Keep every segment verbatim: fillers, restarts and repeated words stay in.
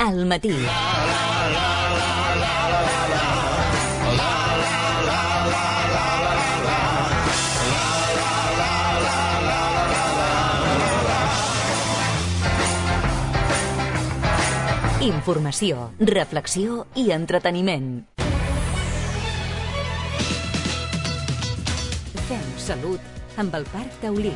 al matí. Informació, reflexió i entreteniment. Fem salut amb el Parc Taulí.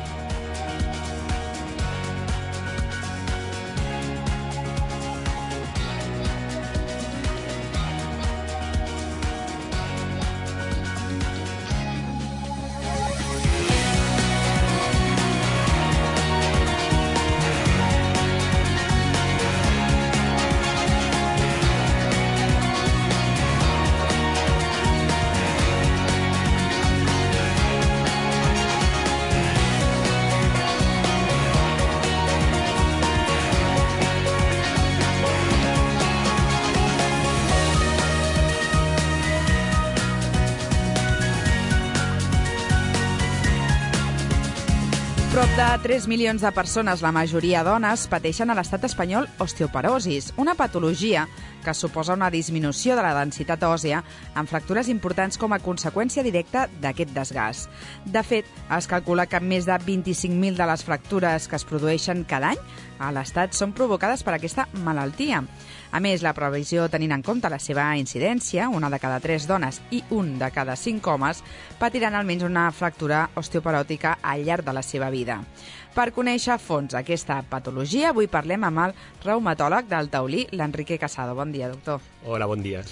Prop de tres milions de persones, la majoria dones, pateixen a l'estat espanyol osteoporosis, una patologia que suposa una disminució de la densitat òssea amb fractures importants com a conseqüència directa d'aquest desgast. De fet, es calcula que més de vint-i-cinc mil de les fractures que es produeixen cada any a l'estat són provocades per aquesta malaltia. A més, la previsió, tenint en compte la seva incidència, una de cada tres dones i un de cada cinc homes patiran almenys una fractura osteoporòtica al llarg de la seva vida. Per conèixer a fons aquesta patologia, avui parlem amb el reumatòleg del Taulí, l'Enrique Casado. Bon dia, doctor. Hola, bon dia.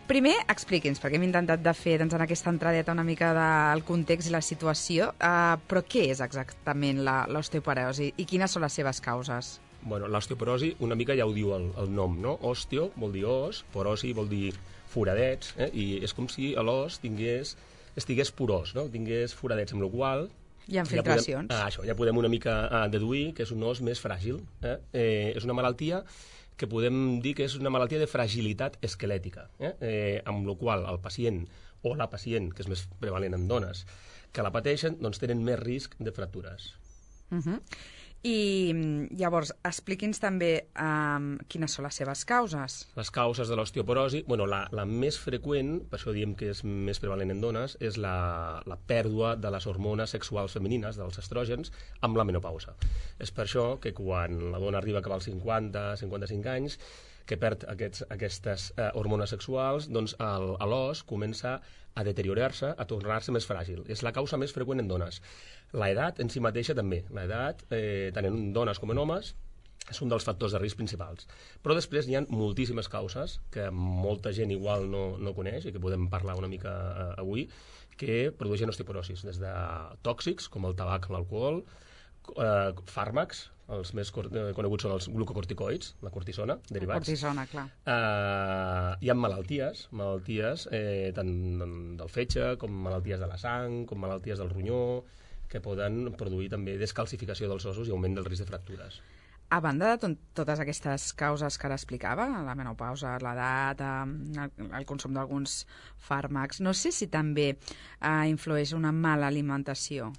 Primer, expliqui'ns, perquè hem intentat de fer doncs, en aquesta entradeta una mica del context i la situació, eh, però què és exactament l'osteoporosi i quines són les seves causes? Bueno, l'osteoporosi una mica ja ho diu el, el nom, no? Osteo vol dir os, porosi vol dir foradets, eh? I és com si l'os tingués, estigués porós, no? Tingués foradets, amb la qual hi ha filtracions. Ja podem, ah, això, ja podem una mica ah, deduir que és un os més fràgil. Eh? Eh, és una malaltia que podem dir que és una malaltia de fragilitat esquelètica, eh? Eh, amb la qual el pacient o la pacient, que és més prevalent en dones, que la pateixen, doncs tenen més risc de fractures. Uh -huh. I llavors, expliqui'ns també um, quines són les seves causes. Les causes de l'osteoporosi, bueno, la, la més freqüent, per això diem que és més prevalent en dones, és la, la pèrdua de les hormones sexuals femenines, dels estrògens, amb la menopausa. És per això que quan la dona arriba a acabar els cinquanta, cinquanta-cinc anys, que perd aquests, aquestes eh, hormones sexuals, doncs l'os comença a deteriorar-se, a tornar-se més fràgil. És la causa més freqüent en dones. L'edat en si mateixa també. L'edat, eh, tant en dones com en homes, és un dels factors de risc principals. Però després hi ha moltíssimes causes que molta gent igual no, no coneix i que podem parlar una mica eh, avui, que produeixen osteoporosis, des de tòxics, com el tabac, l'alcohol, eh, fàrmacs, els més coneguts són els glucocorticoids, la cortisona, derivats. La cortisona, clar. Uh, hi ha malalties, malalties eh, tant del fetge, com malalties de la sang, com malalties del ronyó, que poden produir també descalcificació dels ossos i augment del risc de fractures. A banda de totes aquestes causes que ara explicava, la menopausa, l'edat, el, el consum d'alguns fàrmacs, no sé si també eh, influeix una mala alimentació.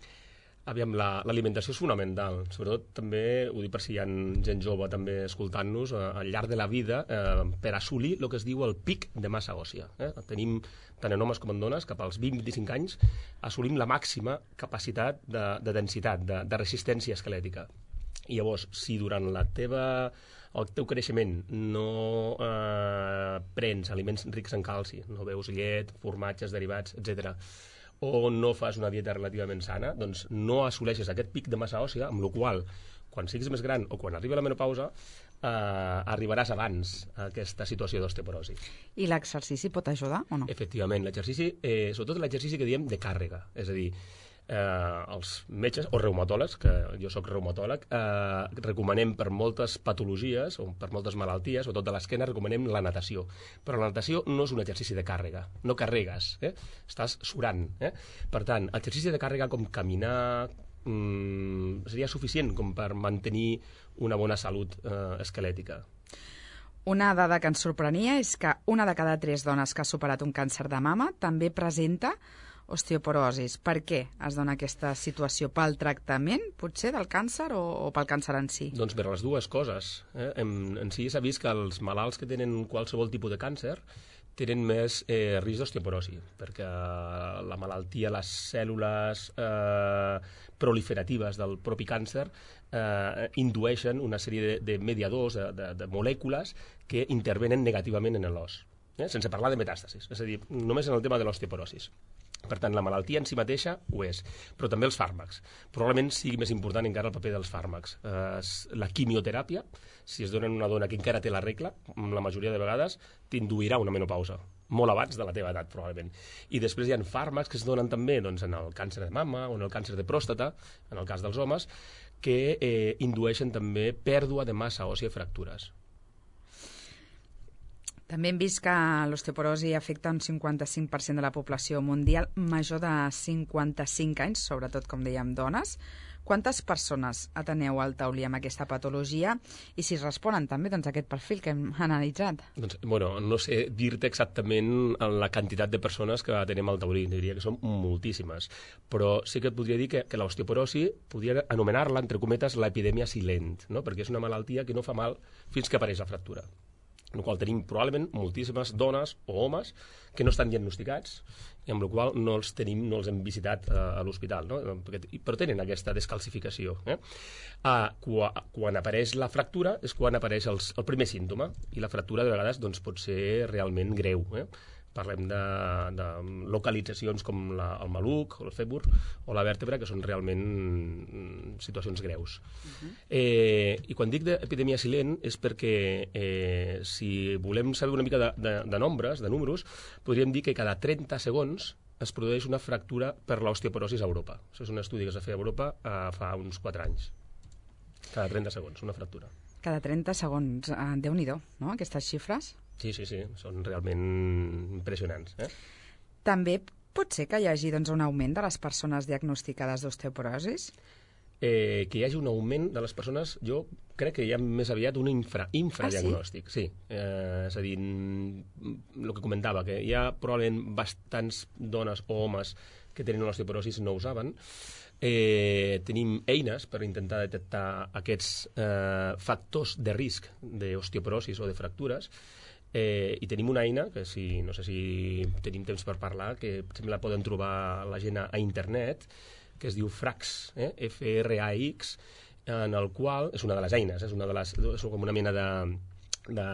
Aviam, l'alimentació és fonamental, sobretot també, ho dic per si hi ha gent jove també escoltant-nos, eh, al llarg de la vida, eh, per assolir el que es diu el pic de massa òssia. Eh? Tenim, tant en homes com en dones, cap als vint a vint-i-cinc anys, assolim la màxima capacitat de, de densitat, de, de resistència esquelètica. I llavors, si durant la teva, el teu creixement no eh, prens aliments rics en calci, no beus llet, formatges, derivats, etcètera, o no fas una dieta relativament sana, doncs no assoleixes aquest pic de massa òssia, amb la qual, quan siguis més gran o quan arribi la menopausa, eh, arribaràs abans a aquesta situació d'osteoporosi. I l'exercici pot ajudar o no? Efectivament, l'exercici, eh, sobretot l'exercici que diem de càrrega, és a dir, eh, els metges o reumatòlegs, que jo sóc reumatòleg, eh, recomanem per moltes patologies o per moltes malalties, sobretot de l'esquena, recomanem la natació. Però la natació no és un exercici de càrrega, no carregues, eh? Estàs surant. Eh? Per tant, exercici de càrrega com caminar mmm, seria suficient com per mantenir una bona salut eh, esquelètica. Una dada que ens sorprenia és que una de cada tres dones que ha superat un càncer de mama també presenta osteoporosis. Per què es dona aquesta situació? Pel tractament, potser, del càncer o, o pel càncer en si? Doncs per les dues coses. Eh? En, en si s'ha vist que els malalts que tenen qualsevol tipus de càncer tenen més eh, risc d'osteoporosi, perquè la malaltia, les cèl·lules eh, proliferatives del propi càncer eh, indueixen una sèrie de, de mediadors, de, de, de molècules que intervenen negativament en l'os, eh? sense parlar de metàstasis, és a dir, només en el tema de l'osteoporosis. Per tant, la malaltia en si mateixa ho és, però també els fàrmacs. Probablement sigui més important encara el paper dels fàrmacs. Eh, la quimioteràpia, si es dona a una dona que encara té la regla, la majoria de vegades t'induirà una menopausa, molt abans de la teva edat, probablement. I després hi ha fàrmacs que es donen també doncs, en el càncer de mama o en el càncer de pròstata, en el cas dels homes, que eh, indueixen també pèrdua de massa òssia i fractures. També hem vist que l'osteoporosi afecta un cinquanta-cinc per cent de la població mundial major de cinquanta-cinc anys, sobretot, com dèiem, dones. Quantes persones ateneu al taulí amb aquesta patologia i si responen també doncs, a aquest perfil que hem analitzat? Doncs, bueno, no sé dir-te exactament la quantitat de persones que atenem al taulí, diria que són moltíssimes, però sí que et podria dir que, que l'osteoporosi podria anomenar-la, entre cometes, l'epidèmia silent, no? Perquè és una malaltia que no fa mal fins que apareix la fractura. En el qual tenim probablement moltíssimes dones o homes que no estan diagnosticats i amb la qual no els tenim, no els hem visitat eh, a l'hospital, no? Perquè, però tenen aquesta descalcificació. Eh? Ah, quan, quan apareix la fractura és quan apareix els, el primer símptoma i la fractura de vegades doncs, pot ser realment greu. Eh? Parlem de, de localitzacions com la, el maluc, el fèmur o la vèrtebra, que són realment situacions greus. Uh-huh. eh, I quan dic d'epidèmia silent és perquè eh, si volem saber una mica de, de, de nombres, de números, podríem dir que cada trenta segons es produeix una fractura per l'osteoporosi a Europa. Això és un estudi que es va fer a Europa eh, fa uns quatre anys. Cada trenta segons, una fractura. Cada trenta segons. Eh, Déu-n'hi-do, no?, aquestes xifres. Sí, sí, sí, són realment impressionants. Eh? També pot ser que hi hagi doncs, un augment de les persones diagnosticades d'osteoporosis? Eh, que hi hagi un augment de les persones, jo crec que hi ha més aviat un infra, infradiagnòstic. Ah, sí? Sí, eh, és a dir, el que comentava, que hi ha probablement bastants dones o homes que tenen l'osteoporosis no ho saben. Eh, tenim eines per intentar detectar aquests eh, factors de risc d'osteoporosis o de fractures. Eh, i tenim una eina que si, no sé si tenim temps per parlar, que sempre la poden trobar la gent a, a internet, que es diu Frax, eh? F R A X, en el qual és una de les eines, és, una de les, és com una mena de, de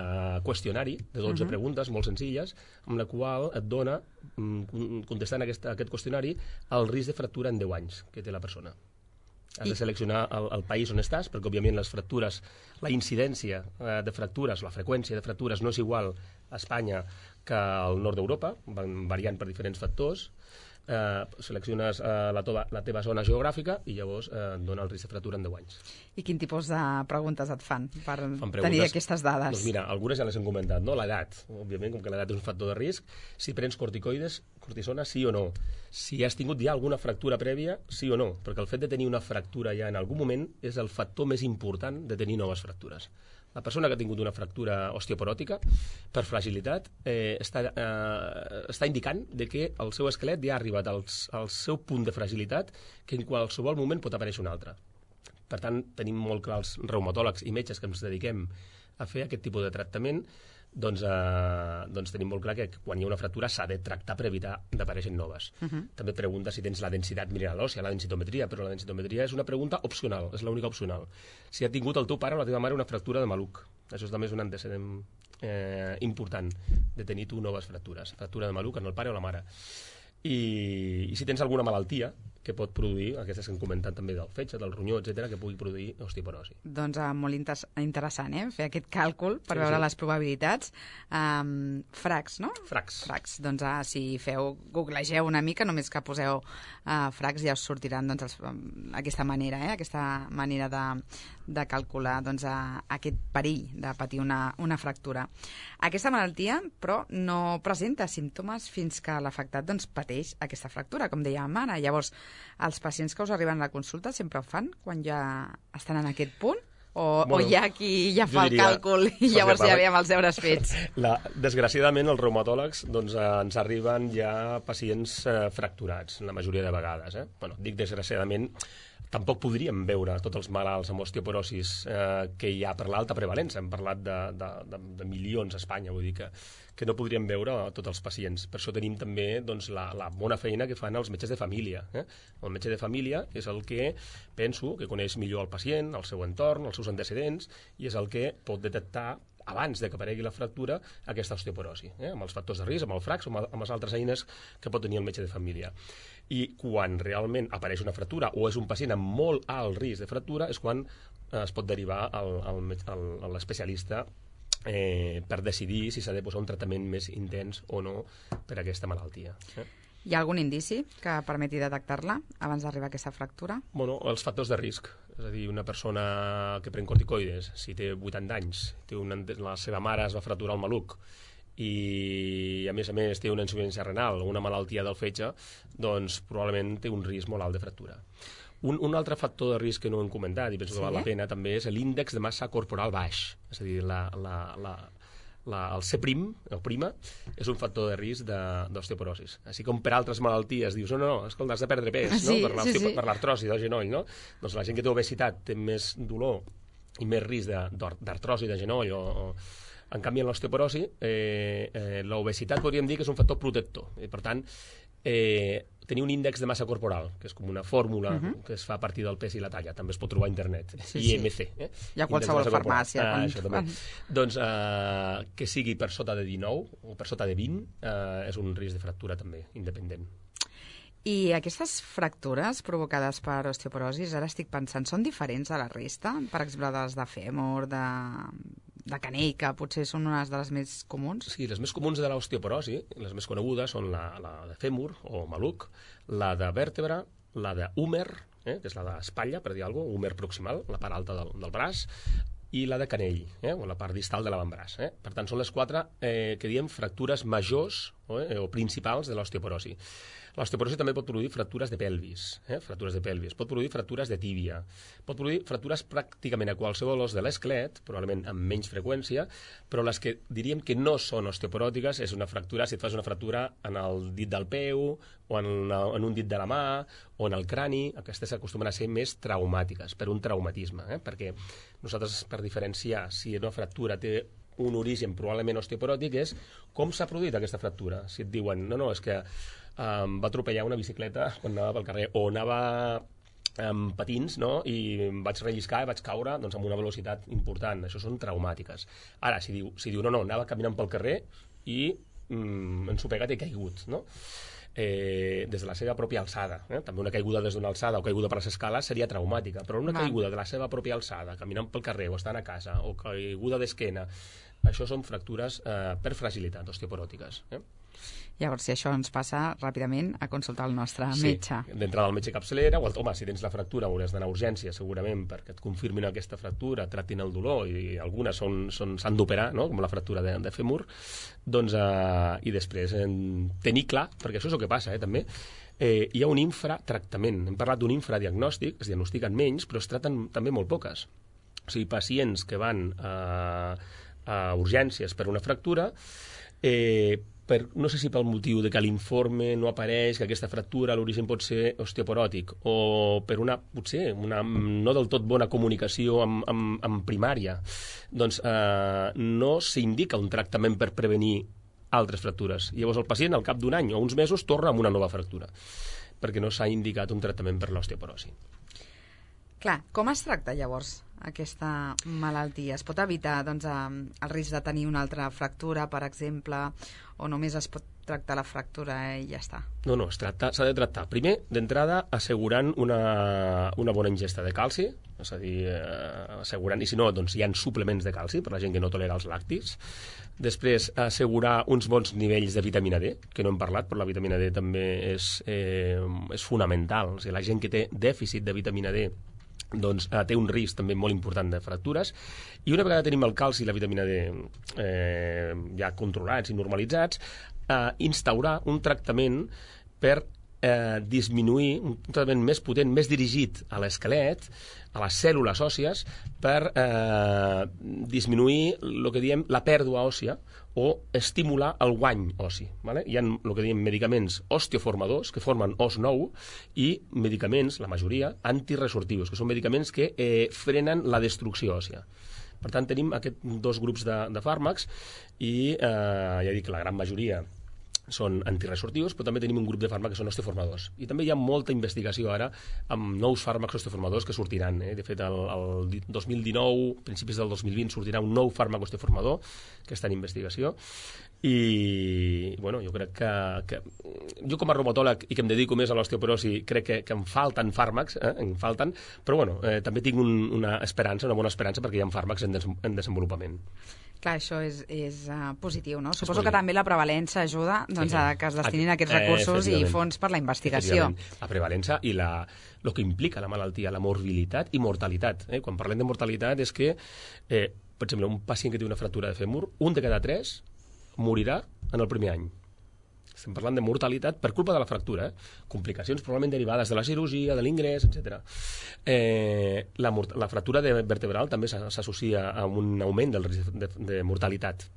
qüestionari de dotze uh-huh. preguntes molt senzilles, amb la qual et dona, contestant aquesta, aquest qüestionari, el risc de fractura en deu anys que té la persona. Has de seleccionar el, el país on estàs, perquè òbviament les fractures, la incidència eh, de fractures, la freqüència de fractures no és igual a Espanya que al nord d'Europa, van variant per diferents factors. Eh, selecciones eh, la, tova, la teva zona geogràfica i llavors eh, et dona el risc de fractura en deu anys. I quin tipus de preguntes et fan per fan tenir aquestes dades? Doncs mira, algunes ja les hem comentat, no? L'edat, òbviament, com que l'edat és un factor de risc. Si prens corticoides, cortisona, sí o no? Si has tingut ja alguna fractura prèvia, sí o no? Perquè el fet de tenir una fractura ja en algun moment és el factor més important de tenir noves fractures. La persona que ha tingut una fractura osteoporòtica, per fragilitat, eh, està, eh, està indicant de que el seu esquelet ja ha arribat al, al seu punt de fragilitat, que en qualsevol moment pot aparèixer un altre. Per tant, tenim molt clar els reumatòlegs i metges que ens dediquem a fer aquest tipus de tractament, doncs, eh, doncs tenim molt clar que quan hi ha una fractura s'ha de tractar per evitar d'aparèixer noves. Uh-huh. També et pregunta si tens la densitat mineral òssia, la densitometria, però la densitometria és una pregunta opcional, és l'única opcional. Si ha tingut el teu pare o la teva mare una fractura de maluc, això també és un antecedent eh, important de tenir tu noves fractures, fractura de maluc en el pare o la mare. I, i si tens alguna malaltia que pot produir, aquestes que hem comentat també del fetge, del ronyó, etcètera, que pugui produir osteoporosi. Doncs uh, molt inter interessant, eh?, fer aquest càlcul per sí, veure sí. les probabilitats. Um, Frax, no? Frax. Frax. Doncs uh, si feu, googlegeu una mica, només que poseu uh, Frax ja us sortiran doncs, els, um, aquesta manera, eh?, aquesta manera de, de calcular doncs, uh, aquest perill de patir una, una fractura. Aquesta malaltia, però, no presenta símptomes fins que l'afectat doncs, pateix aquesta fractura, com dèiem ara. Llavors, els pacients que us arriben a la consulta sempre ho fan quan ja estan en aquest punt? O, Bueno, o hi ha qui ja fa jo el diria- càlcul i llavors ja veiem els deures fets. La, desgraciadament, els reumatòlegs doncs, eh, ens arriben ja pacients eh, fracturats, la majoria de vegades. Eh? Bueno, dic desgraciadament, tampoc podríem veure tots els malalts amb osteoporosis eh, que hi ha per l'alta prevalença. Hem parlat de, de, de, de milions a Espanya, vull dir que, que no podríem veure a tots els pacients. Per això tenim també doncs, la, la bona feina que fan els metges de família. Eh? El metge de família és el que penso que coneix millor el pacient, el seu entorn, els seus antecedents, i és el que pot detectar abans de que aparegui la fractura, aquesta osteoporosi, eh? amb els factors de risc, amb el frax o amb, amb les altres eines que pot tenir el metge de família. I quan realment apareix una fractura o és un pacient amb molt alt risc de fractura és quan eh, es pot derivar al, al, al, a l'especialista eh, per decidir si s'ha de posar un tractament més intens o no per a aquesta malaltia. Eh? Hi ha algun indici que permeti detectar-la abans d'arribar a aquesta fractura? Bueno, els factors de risc. És a dir, una persona que pren corticoides, si té vuitanta anys, té una, la seva mare es va fracturar el maluc i, a més a més, té una insuficiència renal o una malaltia del fetge, doncs probablement té un risc molt alt de fractura. Un, un altre factor de risc que no hem comentat, i penso sí? que val la pena, també és l'índex de massa corporal baix. És a dir, la, la, la, la, el C prim, el prima, és un factor de risc d'osteoporosis. Així com per altres malalties dius, no, no, no, escolta, has de perdre pes, sí, no? per sí, sí. l'artrosi del genoll, no? Doncs la gent que té obesitat té més dolor i més risc d'artrosi de genoll o, o... En canvi, en l'osteoporosi, eh, eh, l'obesitat podríem dir que és un factor protector. I, per tant, eh, tenir un índex de massa corporal, que és com una fórmula uh -huh. que es fa a partir del pes i la talla, també es pot trobar a internet, sí, I M C. Sí. Eh? Hi ha qualsevol farmàcia. Ah, quan... això també. Doncs eh, que sigui per sota de dinou o per sota de vint eh, és un risc de fractura també, independent. I aquestes fractures provocades per osteoporosis, ara estic pensant, són diferents de la resta? Per exemple, de les de fèmur, de, de canell, que potser són unes de les més comuns? Sí, les més comuns de l'osteoporosi, les més conegudes, són la, la de fèmur o maluc, la de vèrtebra, la de húmer, eh, que és la d'espatlla, per dir alguna cosa, húmer proximal, la part alta del, del braç, i la de canell, eh, o la part distal de l'avantbraç. Eh? Per tant, són les quatre eh, que diem fractures majors eh, o principals de l'osteoporosi. L'osteoporosi també pot produir fractures de pelvis, eh? fractures de pelvis, pot produir fractures de tíbia, pot produir fractures pràcticament a qualsevol os de l'esquelet, probablement amb menys freqüència, però les que diríem que no són osteoporòtiques és una fractura, si et fas una fractura en el dit del peu, o en, en un dit de la mà, o en el crani, aquestes acostumen a ser més traumàtiques, per un traumatisme, eh? perquè nosaltres, per diferenciar si una fractura té un origen probablement osteoporòtic, és com s'ha produït aquesta fractura. Si et diuen, no, no, és que em va atropellar una bicicleta quan anava pel carrer, o anava amb patins, no?, i em vaig relliscar i vaig caure doncs, amb una velocitat important. Això són traumàtiques. Ara, si diu, si diu no, no, anava caminant pel carrer i mm, ensopegat i he caigut, no?, eh, des de la seva pròpia alçada. Eh? També una caiguda des d'una alçada o caiguda per les escales seria traumàtica, però una caiguda de la seva pròpia alçada, caminant pel carrer o estant a casa, o caiguda d'esquena, això són fractures eh, per fragilitat osteoporòtiques. Eh? Llavors, si això ens passa, ràpidament a consultar el nostre sí, metge. D'entrada al metge capçalera, o home, si tens la fractura hauràs d'anar a urgència segurament perquè et confirmin aquesta fractura, tractin el dolor, i algunes s'han són, són, d'operar, no?, com la fractura de, de fèmur, doncs, eh, i després eh, tenir clar, perquè això és el que passa, eh, també, eh, hi ha un infratractament. Hem parlat d'un infradiagnòstic, es diagnostiquen menys, però es traten també molt poques. O sigui, pacients que van a, a urgències per una fractura, eh, per, no sé si pel motiu de que l'informe no apareix, que aquesta fractura a l'origen pot ser osteoporòtic, o per una, potser, una no del tot bona comunicació amb, amb, amb primària, doncs eh, no s'indica un tractament per prevenir altres fractures. Llavors el pacient, al cap d'un any o uns mesos, torna amb una nova fractura, perquè no s'ha indicat un tractament per l'osteoporosi. Clar, com es tracta llavors aquesta malaltia? Es pot evitar doncs, el risc de tenir una altra fractura, per exemple, o només es pot tractar la fractura i ja està? No, no, s'ha de tractar. Primer, d'entrada, assegurant una, una bona ingesta de calci, és a dir, eh, assegurant, i si no, doncs hi ha suplements de calci per la gent que no tolera els làctics. Després, assegurar uns bons nivells de vitamina D, que no hem parlat, però la vitamina D també és, eh, és fonamental. O sigui, la gent que té dèficit de vitamina D doncs eh, té un risc també molt important de fractures, i una vegada tenim el calci i la vitamina D eh, ja controlats i normalitzats, eh, instaurar un tractament per eh, disminuir un tractament més potent, més dirigit a l'esquelet, a les cèl·lules òssies, per eh, disminuir el que diem la pèrdua òssia o estimular el guany ossi. Vale? Hi ha el que diem medicaments osteoformadors, que formen os nou, i medicaments, la majoria, antiresortius, que són medicaments que eh, frenen la destrucció òssia. Per tant, tenim aquests dos grups de, de fàrmacs i, eh, ja dic, la gran majoria són antiresortius, però també tenim un grup de fàrmacs que són osteoformadors. I també hi ha molta investigació ara amb nous fàrmacs osteoformadors que sortiran. Eh? De fet, el, el dos mil dinou, principis del dos mil vint, sortirà un nou fàrmac osteoformador que està en investigació. I, bueno, jo crec que, que... Jo com a reumatòleg i que em dedico més a l'osteoporosi, crec que, que em falten fàrmacs, eh? em falten, però bueno, eh, també tinc un, una esperança, una bona esperança, perquè hi ha fàrmacs en, des en desenvolupament. Clar, això és, és uh, positiu, no? Suposo que també la prevalença ajuda doncs, a que es destinin aquests recursos eh, i fons per la investigació. La prevalença i la, el que implica la malaltia, la morbilitat i mortalitat. Eh? Quan parlem de mortalitat és que, eh, per exemple, un pacient que té una fractura de fèmur, un de cada tres morirà en el primer any. Estem parlant de mortalitat per culpa de la fractura, eh? Complicacions probablement derivades de la cirurgia, de l'ingrés, etcètera. Eh, la, la fractura de vertebral també s'associa a un augment del risc de, de mortalitat.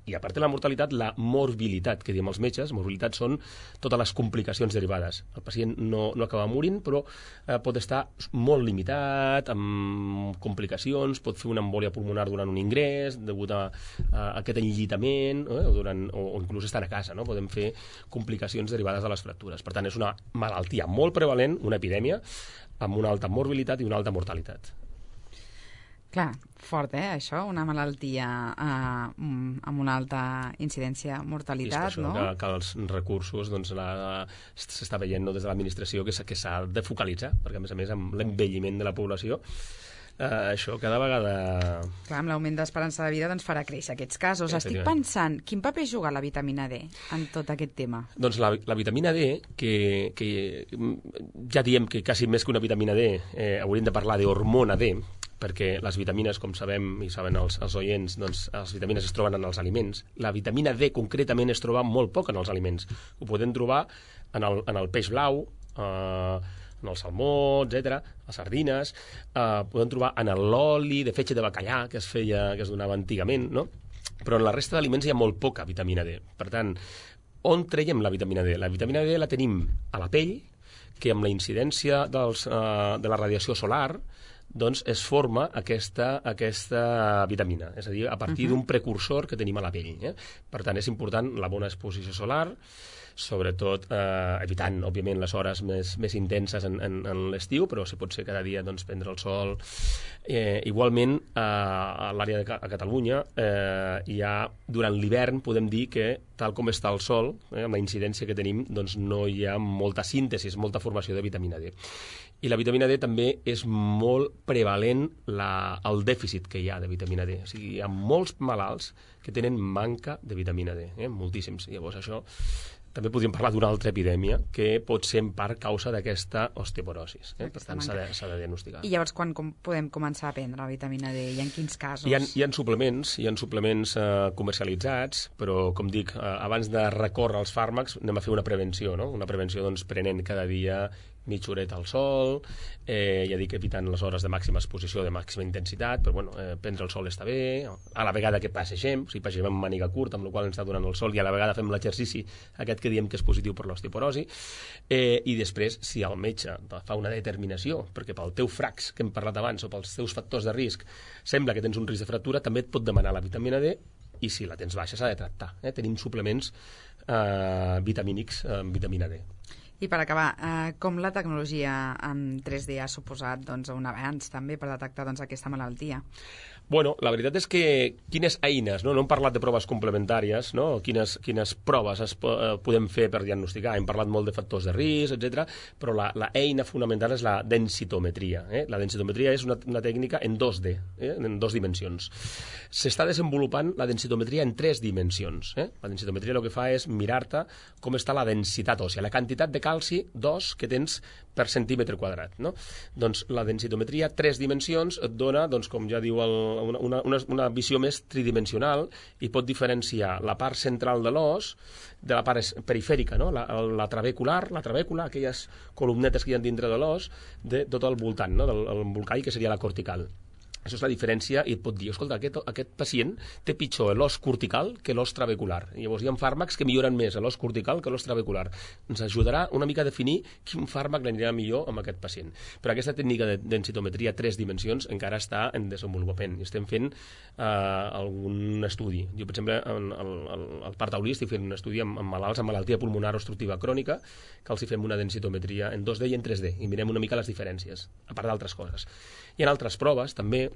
I a part de la mortalitat, la morbilitat, que diem els metges. Morbilitat són totes les complicacions derivades. El pacient no, no acaba morint, però eh, pot estar molt limitat, amb complicacions, pot fer una embòlia pulmonar durant un ingrés, degut a, a aquest enllitament, eh, o, durant, o, o inclús estar a casa, no? Podem fer complicacions derivades de les fractures. Per tant, és una malaltia molt prevalent, una epidèmia, amb una alta morbilitat i una alta mortalitat. Clar, fort, eh, això, una malaltia eh, amb una alta incidència mortalitat, això, no? Que, que els recursos, doncs, s'està veient no, des de l'administració que s'ha de focalitzar, perquè a més a més amb l'envelliment de la població, eh, això cada vegada... Clar, amb l'augment d'esperança de vida doncs farà créixer aquests casos. Estic pensant, quin paper juga la vitamina D en tot aquest tema? Doncs la, la vitamina D, que, que ja diem que quasi més que una vitamina D, eh, hauríem de parlar d'hormona D, perquè les vitamines, com sabem i saben els, els oients, doncs les vitamines es troben en els aliments. La vitamina D concretament es troba molt poc en els aliments. Ho podem trobar en el, en el peix blau, eh, en el salmó, etcètera, les sardines, eh, podem trobar en l'oli de fetge de bacallà que es feia, que es donava antigament, no? Però en la resta d'aliments hi ha molt poca vitamina D. Per tant, on traiem la vitamina D? La vitamina D la tenim a la pell, que amb la incidència dels, eh, de la radiació solar doncs es forma aquesta, aquesta vitamina, és a dir, a partir uh -huh. d'un precursor que tenim a la pell. Eh? Per tant, és important la bona exposició solar, sobretot eh, evitant, òbviament, les hores més, més intenses en, en, en l'estiu, però si pot ser cada dia doncs, prendre el sol. Eh, igualment, eh, a l'àrea de a Catalunya, eh, hi ha, durant l'hivern, podem dir que, tal com està el sol, eh, amb la incidència que tenim, doncs no hi ha molta síntesi, molta formació de vitamina D. I la vitamina D també és molt prevalent la, el dèficit que hi ha de vitamina D. O sigui, hi ha molts malalts que tenen manca de vitamina D, eh? moltíssims. Llavors, això també podríem parlar d'una altra epidèmia que pot ser en part causa d'aquesta osteoporosis. Eh? Per tant, s'ha de, s'ha de diagnosticar. I llavors, quan com podem començar a prendre la vitamina D i en quins casos? Hi ha, hi ha suplements, hi ha suplements eh, comercialitzats, però, com dic, eh, abans de recórrer als fàrmacs, anem a fer una prevenció, no? Una prevenció, doncs, prenent cada dia mitja horeta al sol, eh, ja dic, evitant les hores de màxima exposició, de màxima intensitat, però bueno, eh, prendre el sol està bé, a la vegada que passegem, o sigui, passegem amb màniga curta, amb la qual ens està donant el sol, i a la vegada fem l'exercici aquest que diem que és positiu per l'osteoporosi, eh, i després, si el metge fa una determinació, perquè pel teu frax, que hem parlat abans, o pels teus factors de risc, sembla que tens un risc de fractura, també et pot demanar la vitamina D, i si la tens baixa s'ha de tractar. Eh? Tenim suplements eh, vitamínics amb vitamina D. I per acabar, eh, com la tecnologia en tres D ha suposat doncs, un avanç també per detectar doncs, aquesta malaltia? Bueno, la veritat és que quines eines, no, no hem parlat de proves complementàries, no? quines, quines proves es po eh, podem fer per diagnosticar, hem parlat molt de factors de risc, etcètera, però la, la eina fonamental és la densitometria. Eh? La densitometria és una, una tècnica en dos D, eh? en dos dimensions. S'està desenvolupant la densitometria en tres dimensions. Eh? La densitometria el que fa és mirar-te com està la densitat òssia, la quantitat de calci d'os que tens per centímetre quadrat, no? Doncs la densitometria, tres dimensions, et dona, doncs, com ja diu, el, una, una, una visió més tridimensional i pot diferenciar la part central de l'os de la part perifèrica, no? La, la trabecular, la trabècula, aquelles columnetes que hi ha dintre de l'os, de tot el voltant, no? Del el embolcall, que seria la cortical. Això és la diferència i et pot dir, escolta, aquest, aquest pacient té pitjor l'os cortical que l'os trabecular. I llavors hi ha fàrmacs que milloren més l'os cortical que l'os trabecular. Ens ajudarà una mica a definir quin fàrmac l'anirà millor amb aquest pacient. Però aquesta tècnica de densitometria a tres dimensions encara està en desenvolupament. I estem fent eh, algun estudi. Jo, per exemple, al, al, al Parc Taulí estic fent un estudi amb, amb malalts amb malaltia pulmonar obstructiva crònica, que els hi fem una densitometria en dos D i en tres D, i mirem una mica les diferències, a part d'altres coses. Hi ha altres proves, també,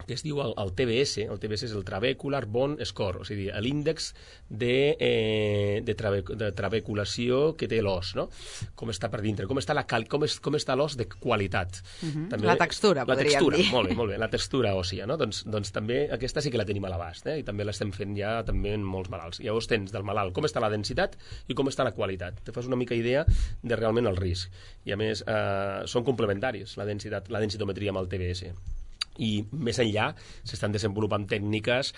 que es diu el, el T B S, el T B S és el Trabecular Bone Score, o sigui, l'índex de, eh, de, trabe, de trabeculació que té l'os, no? Com està per dintre, com està, la cal, com és, com està l'os de qualitat. Uh-huh. També, la textura, la podríem textura, dir. Molt bé, molt bé, la textura òssia, no? Doncs, doncs també aquesta sí que la tenim a l'abast, eh? I també l'estem fent ja també en molts malalts. Llavors tens del malalt com està la densitat i com està la qualitat. Te fas una mica idea de realment el risc. I a més, eh, són complementaris, la densitat, la densitometria amb el T B S. I més enllà s'estan desenvolupant tècniques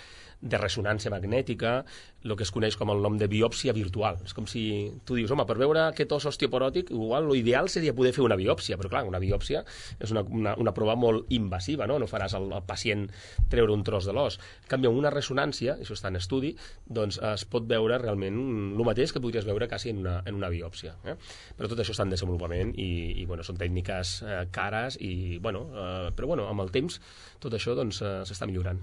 de ressonància magnètica, el que es coneix com el nom de biòpsia virtual. És com si tu dius, home, per veure aquest os osteoporòtic, igual l'ideal seria poder fer una biòpsia, però clar, una biòpsia és una, una, una prova molt invasiva, no? No faràs al, al pacient treure un tros de l'os. En canvi, amb una ressonància, això està en estudi, doncs es pot veure realment el mateix que podries veure quasi en una, en una biòpsia. Eh? Però tot això està en desenvolupament i, i bueno, són tècniques eh, cares, i, bueno, eh, però bueno, amb el temps tot això doncs, eh, s'està millorant.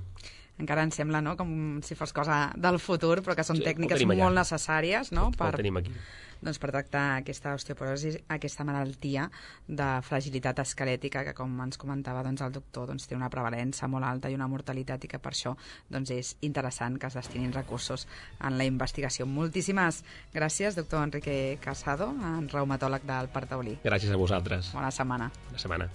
Encara ens sembla, no?, com si fos cosa del futur, però que són Sí, tècniques molt necessàries, no?, per, Ho tenim aquí. doncs, per tractar aquesta osteoporosi, aquesta malaltia de fragilitat esquelètica que, com ens comentava doncs, el doctor, doncs, té una prevalença molt alta i una mortalitat, i que per això doncs, és interessant que es destinin recursos en la investigació. Moltíssimes gràcies, doctor Enrique Casado, reumatòleg del Parc Taulí. Gràcies a vosaltres. Bona setmana. Bona setmana.